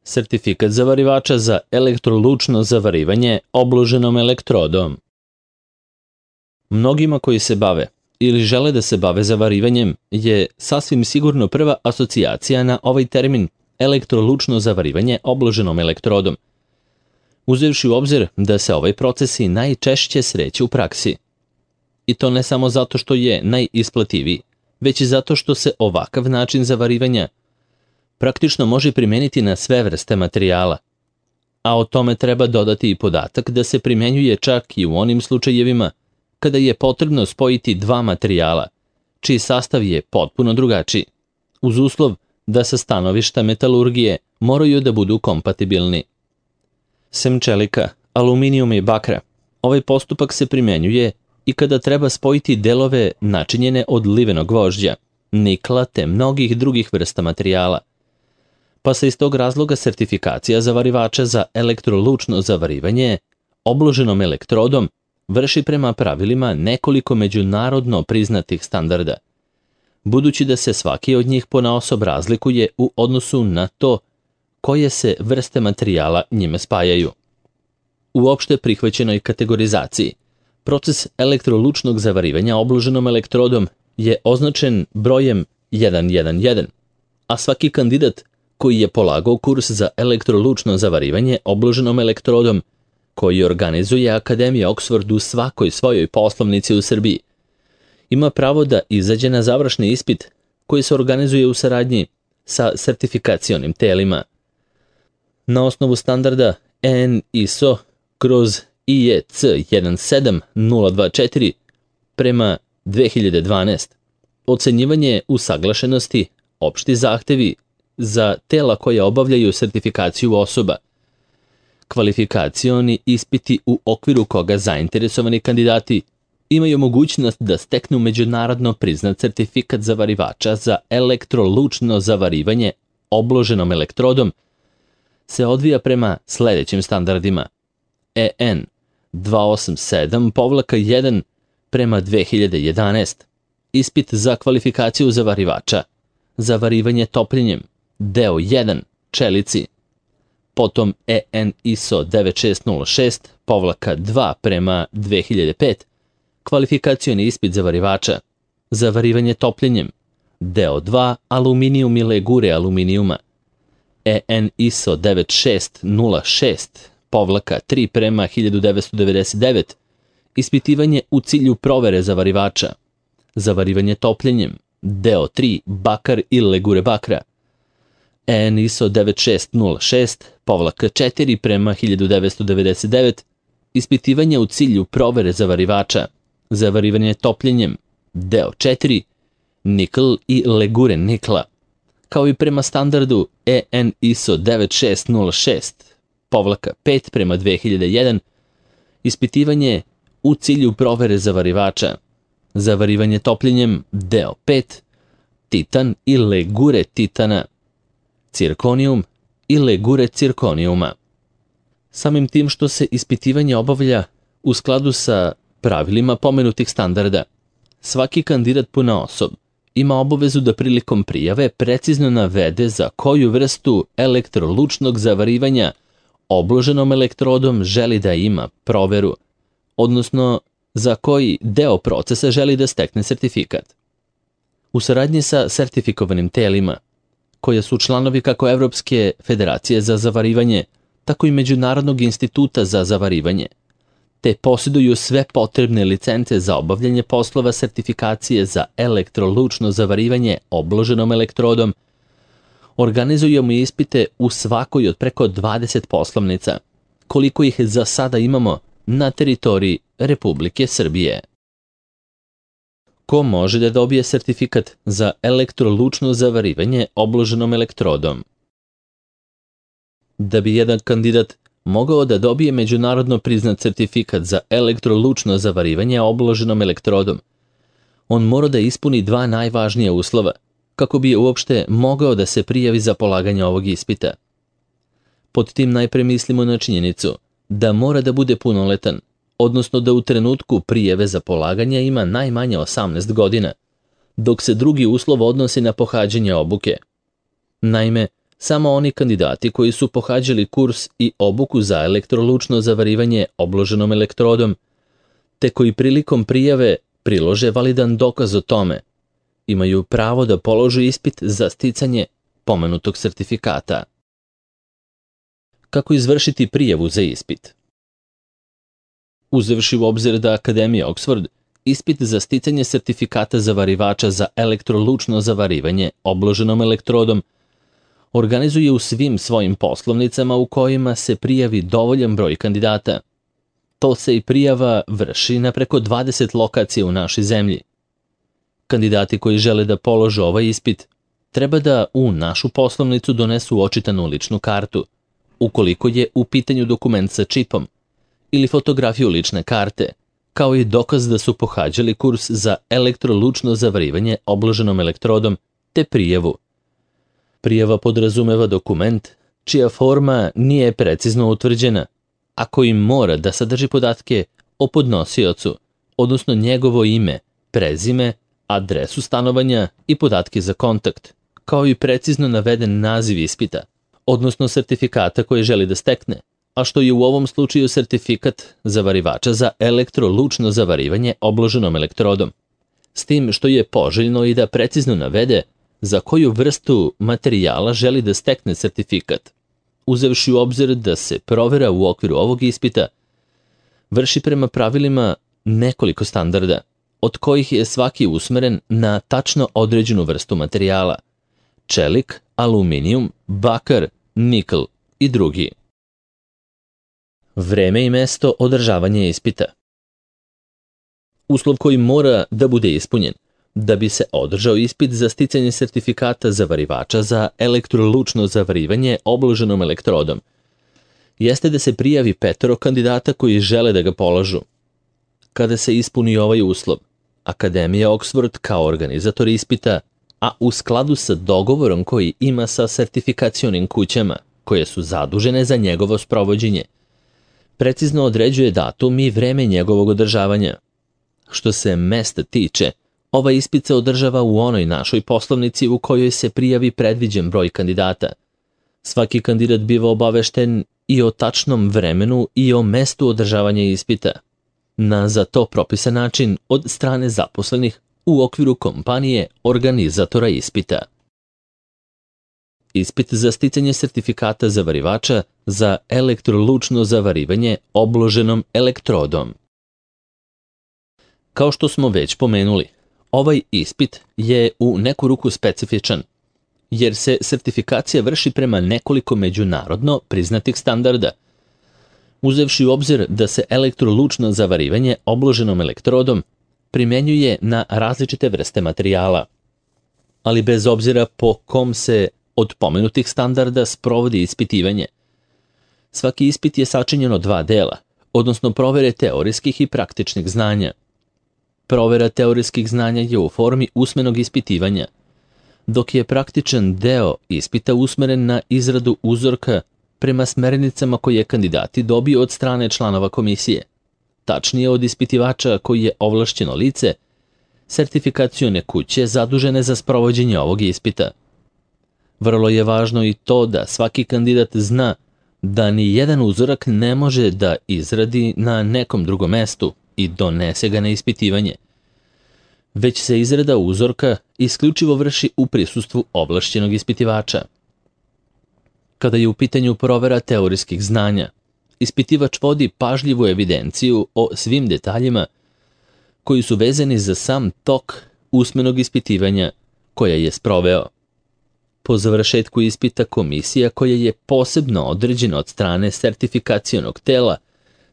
Sertifikat zavarivača za elektrolučno zavarivanje obloženom elektrodom. Mnogima koji se bave ili žele da se bave zavarivanjem je sasvim sigurno prva asocijacija na ovaj termin elektrolučno zavarivanje obloženom elektrodom, uzevši u obzir da se ovaj proces i najčešće sreće u praksi. I to ne samo zato što je najisplativiji, već i zato što se ovakav način zavarivanja praktično može primeniti na sve vrste materijala. A o tome treba dodati i podatak da se primenjuje čak i u onim slučajevima kada je potrebno spojiti dva materijala, čiji sastav je potpuno drugačiji, uz uslov da sa stanovišta metalurgije moraju da budu kompatibilni. Sem čelika, aluminijuma i bakra, ovaj postupak se primenjuje i kada treba spojiti delove načinjene od livenog gvožđa, nikla te mnogih drugih vrsta materijala. Pa se iz tog razloga sertifikacija zavarivača za elektrolučno zavarivanje obloženom elektrodom vrši prema pravilima nekoliko međunarodno priznatih standarda, budući da se svaki od njih ponaosob razlikuje u odnosu na to koje se vrste materijala njime spajaju. U opšte prihvaćenoj kategorizaciji, proces elektrolučnog zavarivanja obloženom elektrodom je označen brojem 111, a svaki kandidat koji je polagao kurs za elektrolučno zavarivanje obloženom elektrodom, koji organizuje Akademija Oxford u svakoj svojoj poslovnici u Srbiji, ima pravo da izađe na završni ispit koji se organizuje u saradnji sa sertifikacionim telima. Na osnovu standarda EN/ISO/IEC 17024 prema 2012, ocenjivanje usaglašenosti, opšti zahtevi za tela koja obavljaju sertifikaciju osoba, kvalifikacioni ispiti u okviru koga zainteresovani kandidati imaju mogućnost da steknu međunarodno priznat sertifikat zavarivača za elektrolučno zavarivanje obloženom elektrodom, se odvija prema sledećim standardima: EN 287-1 prema 2011, ispit za kvalifikaciju zavarivača, zavarivanje topljenjem, deo 1, čelici, potom EN ISO 9606-2 prema 2005, kvalifikacioni ispit zavarivača, zavarivanje topljenjem, deo 2, aluminijum i legure aluminijuma, EN ISO 9606-3 prema 1999, ispitivanje u cilju provere zavarivača, zavarivanje topljenjem, deo 3, bakar i legure bakra, EN ISO 9606-4 prema 1999, ispitivanje u cilju provere zavarivača, zavarivanje topljenjem, deo 4, nikl i legure nikla, kao i prema standardu EN ISO 9606-5 prema 2001, ispitivanje u cilju provere zavarivača, zavarivanje topljenjem, deo 5, titan i legure titana, cirkonijum i legure cirkonijuma. Samim tim što se ispitivanje obavlja u skladu sa pravilima pomenutih standarda, svaki kandidat ponaosob ima obavezu da prilikom prijave precizno navede za koju vrstu elektrolučnog zavarivanja obloženom elektrodom želi da ima proveru, odnosno za koji deo procesa želi da stekne sertifikat. U saradnji sa sertifikovanim telima, koje su članovi kako Evropske federacije za zavarivanje, tako i Međunarodnog instituta za zavarivanje, te posjeduju sve potrebne licence za obavljanje poslova sertifikacije za elektrolučno zavarivanje obloženom elektrodom, organizujemo ispite u svakoj od preko 20 poslovnica, koliko ih za sada imamo na teritoriji Republike Srbije. Ko može da dobije sertifikat za elektrolučno zavarivanje obloženom elektrodom? Da bi jedan kandidat mogao da dobije međunarodno priznat sertifikat za elektrolučno zavarivanje obloženom elektrodom, on mora da ispuni dva najvažnija uslova kako bi uopšte mogao da se prijavi za polaganje ovog ispita. Pod tim najpre mislimo na činjenicu da mora da bude punoletan, odnosno da u trenutku prijave za polaganje ima najmanje 18 godina, dok se drugi uslov odnosi na pohađanje obuke. Naime, samo oni kandidati koji su pohađali kurs i obuku za elektrolučno zavarivanje obloženom elektrodom, te koji prilikom prijave prilože validan dokaz o tome, imaju pravo da polože ispit za sticanje pomenutog sertifikata. Kako izvršiti prijavu za ispit? Uzevši u obzir da Akademija Oxford ispit za sticanje sertifikata zavarivača za elektrolučno zavarivanje obloženom elektrodom organizuje u svim svojim poslovnicama u kojima se prijavi dovoljan broj kandidata. To se i prijava vrši na preko 20 lokacija u našoj zemlji. Kandidati koji žele da polože ovaj ispit treba da u našu poslovnicu donesu očitanu ličnu kartu, ukoliko je u pitanju dokument sa čipom, ili fotografiju lične karte, kao i dokaz da su pohađali kurs za elektrolučno zavarivanje obloženom elektrodom, te prijavu. Prijava podrazumeva dokument čija forma nije precizno utvrđena, a koji mora da sadrži podatke o podnosiocu, odnosno njegovo ime, prezime, adresu stanovanja i podatke za kontakt, kao i precizno naveden naziv ispita, odnosno sertifikata koji želi da stekne, a što je u ovom slučaju sertifikat zavarivača za elektrolučno zavarivanje obloženom elektrodom. S tim što je poželjno i da precizno navede za koju vrstu materijala želi da stekne sertifikat, uzevši u obzir da se provera u okviru ovog ispita vrši prema pravilima nekoliko standarda, od kojih je svaki usmeren na tačno određenu vrstu materijala: čelik, aluminijum, bakar, nikl i drugi. Vreme i mesto održavanja ispita. Uslov koji mora da bude ispunjen da bi se održao ispit za sticanje sertifikata zavarivača za elektrolučno zavarivanje obloženom elektrodom jeste da se prijavi 5 kandidata koji žele da ga polažu. Kada se ispuni ovaj uslov, Akademija Oxford kao organizator ispita, a u skladu sa dogovorom koji ima sa sertifikacionim kućama koje su zadužene za njegovo sprovođenje, precizno određuje datum i vreme njegovog održavanja. Što se mesta tiče, ovaj ispit se održava u onoj našoj poslovnici u kojoj se prijavi predviđen broj kandidata. Svaki kandidat biva obavešten i o tačnom vremenu i o mestu održavanja ispita, na za to propisan način od strane zaposlenih u okviru kompanije organizatora ispita. Ispit za sticanje sertifikata zavarivača za elektrolučno zavarivanje obloženom elektrodom. Kao što smo već pomenuli, ovaj ispit je u neku ruku specifičan, jer se sertifikacija vrši prema nekoliko međunarodno priznatih standarda, uzevši u obzir da se elektrolučno zavarivanje obloženom elektrodom primenjuje na različite vrste materijala. Ali bez obzira po kom se od pomenutih standarda sprovodi ispitivanje, svaki ispit je sačinjen od 2 dela, odnosno provere teorijskih i praktičnih znanja. Provera teorijskih znanja je u formi usmenog ispitivanja, dok je praktičan deo ispita usmeren na izradu uzorka prema smernicama koje kandidati dobiju od strane članova komisije, tačnije od ispitivača koji je ovlašćeno lice, sertifikacione kuće zadužene za sprovođenje ovog ispita. Vrlo je važno i to da svaki kandidat zna da ni jedan uzorak ne može da izradi na nekom drugom mestu i donese ga na ispitivanje, već se izrada uzorka isključivo vrši u prisustvu ovlašćenog ispitivača. Kada je u pitanju provera teorijskih znanja, ispitivač vodi pažljivu evidenciju o svim detaljima koji su vezani za sam tok usmenog ispitivanja koja je sproveo. Po završetku ispita komisija koja je posebno određena od strane sertifikacionog tela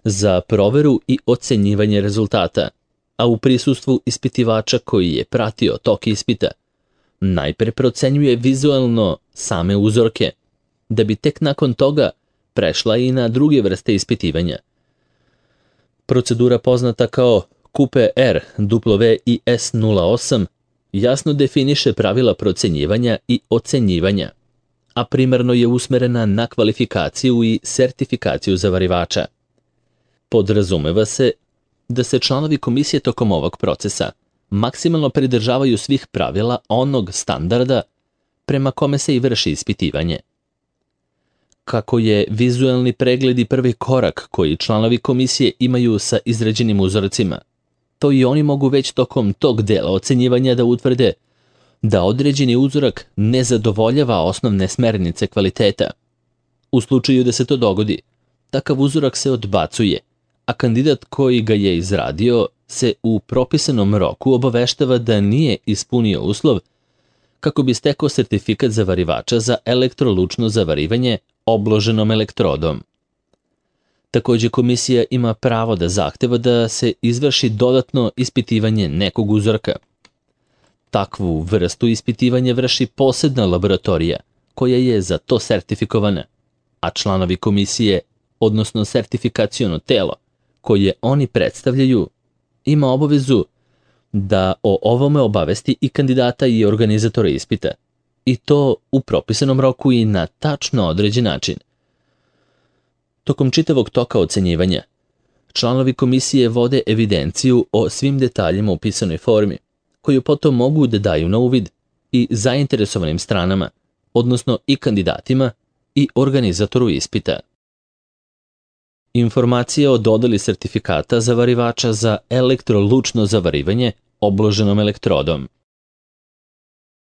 za proveru i ocenjivanje rezultata, a u prisustvu ispitivača koji je pratio tok ispita, najpre procenjuje vizualno same uzorke, da bi tek nakon toga prešla i na druge vrste ispitivanja. Procedura poznata kao QPR WIS-08 jasno definiše pravila procenjivanja i ocenjivanja, a primarno je usmerena na kvalifikaciju i sertifikaciju zavarivača. Podrazumeva se da se članovi komisije tokom ovog procesa maksimalno pridržavaju svih pravila onog standarda prema kome se i vrši ispitivanje, kako je vizualni pregled i prvi korak koji članovi komisije imaju sa izrađenim uzorcima, to i oni mogu već tokom tog dela ocenjivanja da utvrde da određeni uzorak ne zadovoljava osnovne smernice kvaliteta. U slučaju da se to dogodi, takav uzorak se odbacuje, a kandidat koji ga je izradio se u propisanom roku obaveštava da nije ispunio uslov kako bi stekao sertifikat zavarivača za elektrolučno zavarivanje obloženom elektrodom. Takođe, komisija ima pravo da zahteva da se izvrši dodatno ispitivanje nekog uzorka. Takvu vrstu ispitivanja vrši posebna laboratorija koja je za to sertifikovana, a članovi komisije, odnosno sertifikaciono telo koje oni predstavljaju, ima obavezu da o ovome obavesti i kandidata i organizatora ispita, i to u propisanom roku i na tačno određen način. Tokom čitavog toka ocenjivanja, članovi komisije vode evidenciju o svim detaljima u pisanoj formi, koju potom mogu da daju na uvid i zainteresovanim stranama, odnosno i kandidatima i organizatoru ispita. Informacija o dodeli sertifikata zavarivača za elektrolučno zavarivanje obloženom elektrodom.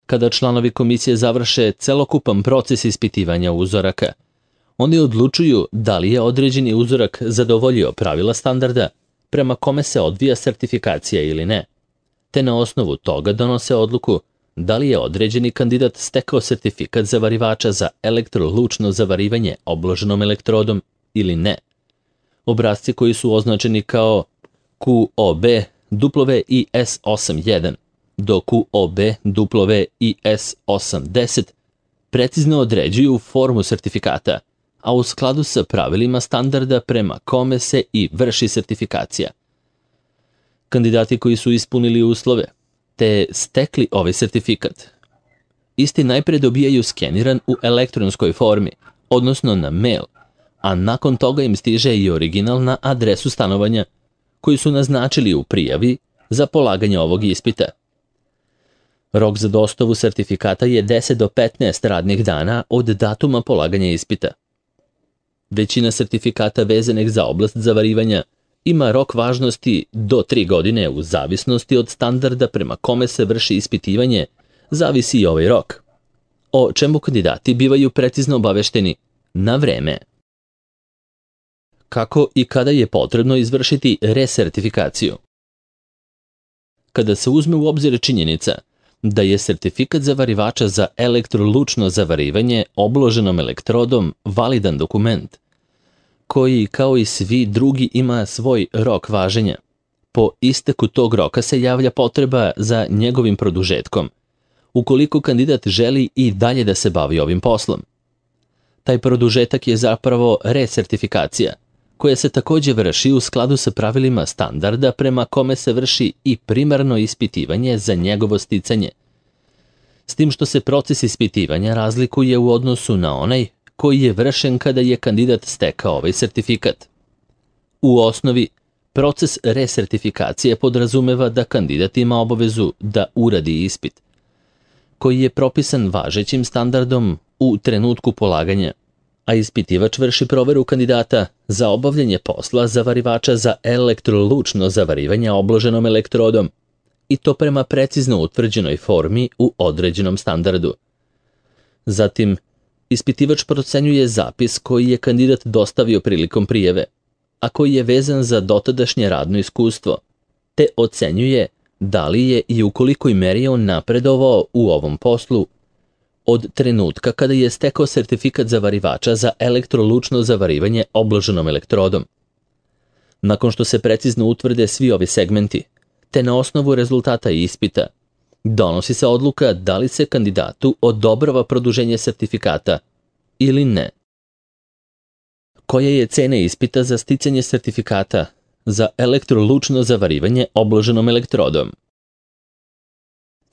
Kada članovi komisije završe celokupan proces ispitivanja uzoraka, oni odlučuju da li je određeni uzorak zadovoljio pravila standarda prema kome se odvija sertifikacija ili ne, te na osnovu toga donose odluku da li je određeni kandidat stekao sertifikat zavarivača za elektrolučno zavarivanje obloženom elektrodom ili ne. Obrasci koji su označeni kao QOB WIS81 do QOB WIS80 precizno određuju formu sertifikata, a u skladu sa pravilima standarda prema kome se i vrši sertifikacija. Kandidati koji su ispunili uslove te stekli ovaj sertifikat, isti najpre dobijaju skeniran u elektronskoj formi, odnosno na mail, a nakon toga im stiže i original na adresu stanovanja koju su naznačili u prijavi za polaganje ovog ispita. Rok za dostavu sertifikata je 10 do 15 radnih dana od datuma polaganja ispita. Većina sertifikata vezanih za oblast zavarivanja ima rok važnosti do 3 godine u zavisnosti od standarda prema kome se vrši ispitivanje, zavisi i ovaj rok, o čemu kandidati bivaju precizno obavešteni na vreme. Kako i kada je potrebno izvršiti resertifikaciju? Kada se uzme u obzir činjenica da je sertifikat zavarivača za elektrolučno zavarivanje obloženom elektrodom validan dokument, koji kao i svi drugi ima svoj rok važenja, po isteku tog roka se javlja potreba za njegovim produžetkom, ukoliko kandidat želi i dalje da se bavi ovim poslom. Taj produžetak je zapravo resertifikacija, koja se takođe vrši u skladu sa pravilima standarda prema kome se vrši i primarno ispitivanje za njegovo sticanje, s tim što se proces ispitivanja razlikuje u odnosu na onaj koji je vršen kada je kandidat stekao ovaj sertifikat. U osnovi, proces resertifikacije podrazumeva da kandidat ima obavezu da uradi ispit, koji je propisan važećim standardom u trenutku polaganja, a ispitivač vrši proveru kandidata za obavljanje posla zavarivača za elektrolučno zavarivanje obloženom elektrodom, i to prema precizno utvrđenoj formi u određenom standardu. Zatim, ispitivač procenjuje zapis koji je kandidat dostavio prilikom prijave, a koji je vezan za dotadašnje radno iskustvo, te ocenjuje da li je i u kolikoj meri on napredovao u ovom poslu od trenutka kada je stekao sertifikat zavarivača za elektrolučno zavarivanje obloženom elektrodom. Nakon što se precizno utvrde svi ovi segmenti, te na osnovu rezultata ispita, donosi se odluka da li se kandidatu odobrava produženje sertifikata ili ne. Koja je cena ispita za sticanje sertifikata za elektrolučno zavarivanje obloženom elektrodom?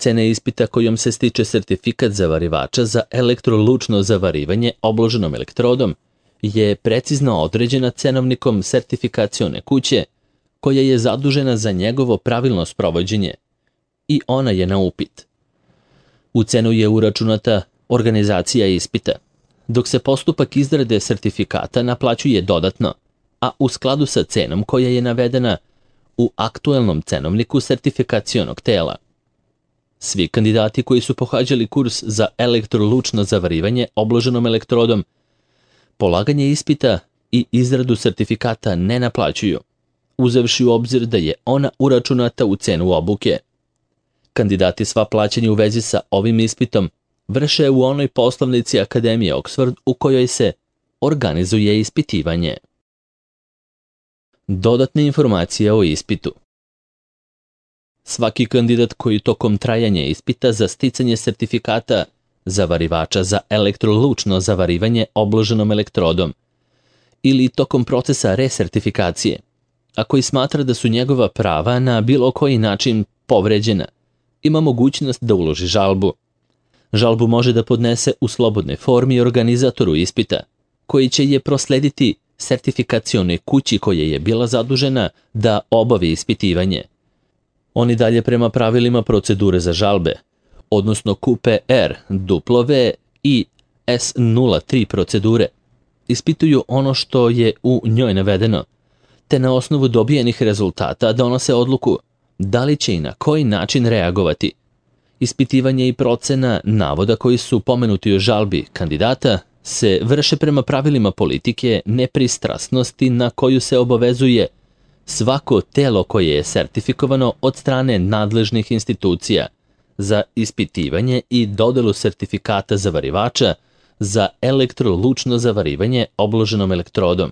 Cena ispita kojom se stiče sertifikat zavarivača za elektrolučno zavarivanje obloženom elektrodom je precizno određena cenovnikom sertifikacione kuće koja je zadužena za njegovo pravilno sprovođenje i ona je na upit. U cenu je uračunata organizacija ispita, dok se postupak izrade sertifikata naplaćuje dodatno, a u skladu sa cenom koja je navedena u aktuelnom cenovniku sertifikacionog tela. Svi kandidati koji su pohađali kurs za elektrolučno zavarivanje obloženom elektrodom, polaganje ispita i izradu sertifikata ne naplaćuju, uzevši u obzir da je ona uračunata u cenu obuke. Kandidati sva plaćanja u vezi sa ovim ispitom vrše u onoj poslovnici Akademije Oxford u kojoj se organizuje ispitivanje. Dodatne informacije o ispitu. Svaki kandidat koji tokom trajanja ispita za sticanje sertifikata zavarivača za elektrolučno zavarivanje obloženom elektrodom ili tokom procesa resertifikacije, a koji smatra da su njegova prava na bilo koji način povređena, ima mogućnost da uloži žalbu. Žalbu može da podnese u slobodnoj formi organizatoru ispita, koji će je proslediti sertifikacionoj kući koja je bila zadužena da obavi ispitivanje. Oni dalje prema pravilima procedure za žalbe, odnosno QPR, W i S03 procedure, ispituju ono što je u njoj navedeno, te na osnovu dobijenih rezultata donose odluku da li će i na koji način reagovati. Ispitivanje i procena navoda koji su pomenuti u žalbi kandidata se vrše prema pravilima politike nepristrasnosti na koju se obavezuje svako telo koje je sertifikovano od strane nadležnih institucija za ispitivanje i dodelu sertifikata zavarivača za elektrolučno zavarivanje obloženom elektrodom.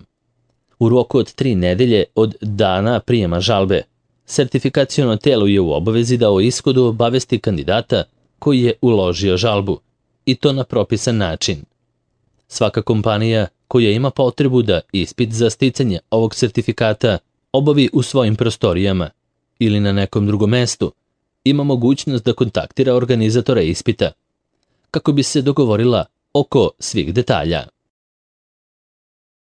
U roku od 3 nedelje od dana prijema žalbe, sertifikaciono telo je u obavezi da o ishodu obavesti kandidata koji je uložio žalbu, i to na propisan način. Svaka kompanija koja ima potrebu da ispit za sticanje ovog sertifikata obavi u svojim prostorijama ili na nekom drugom mestu, ima mogućnost da kontaktira organizatora ispita, kako bi se dogovorila oko svih detalja.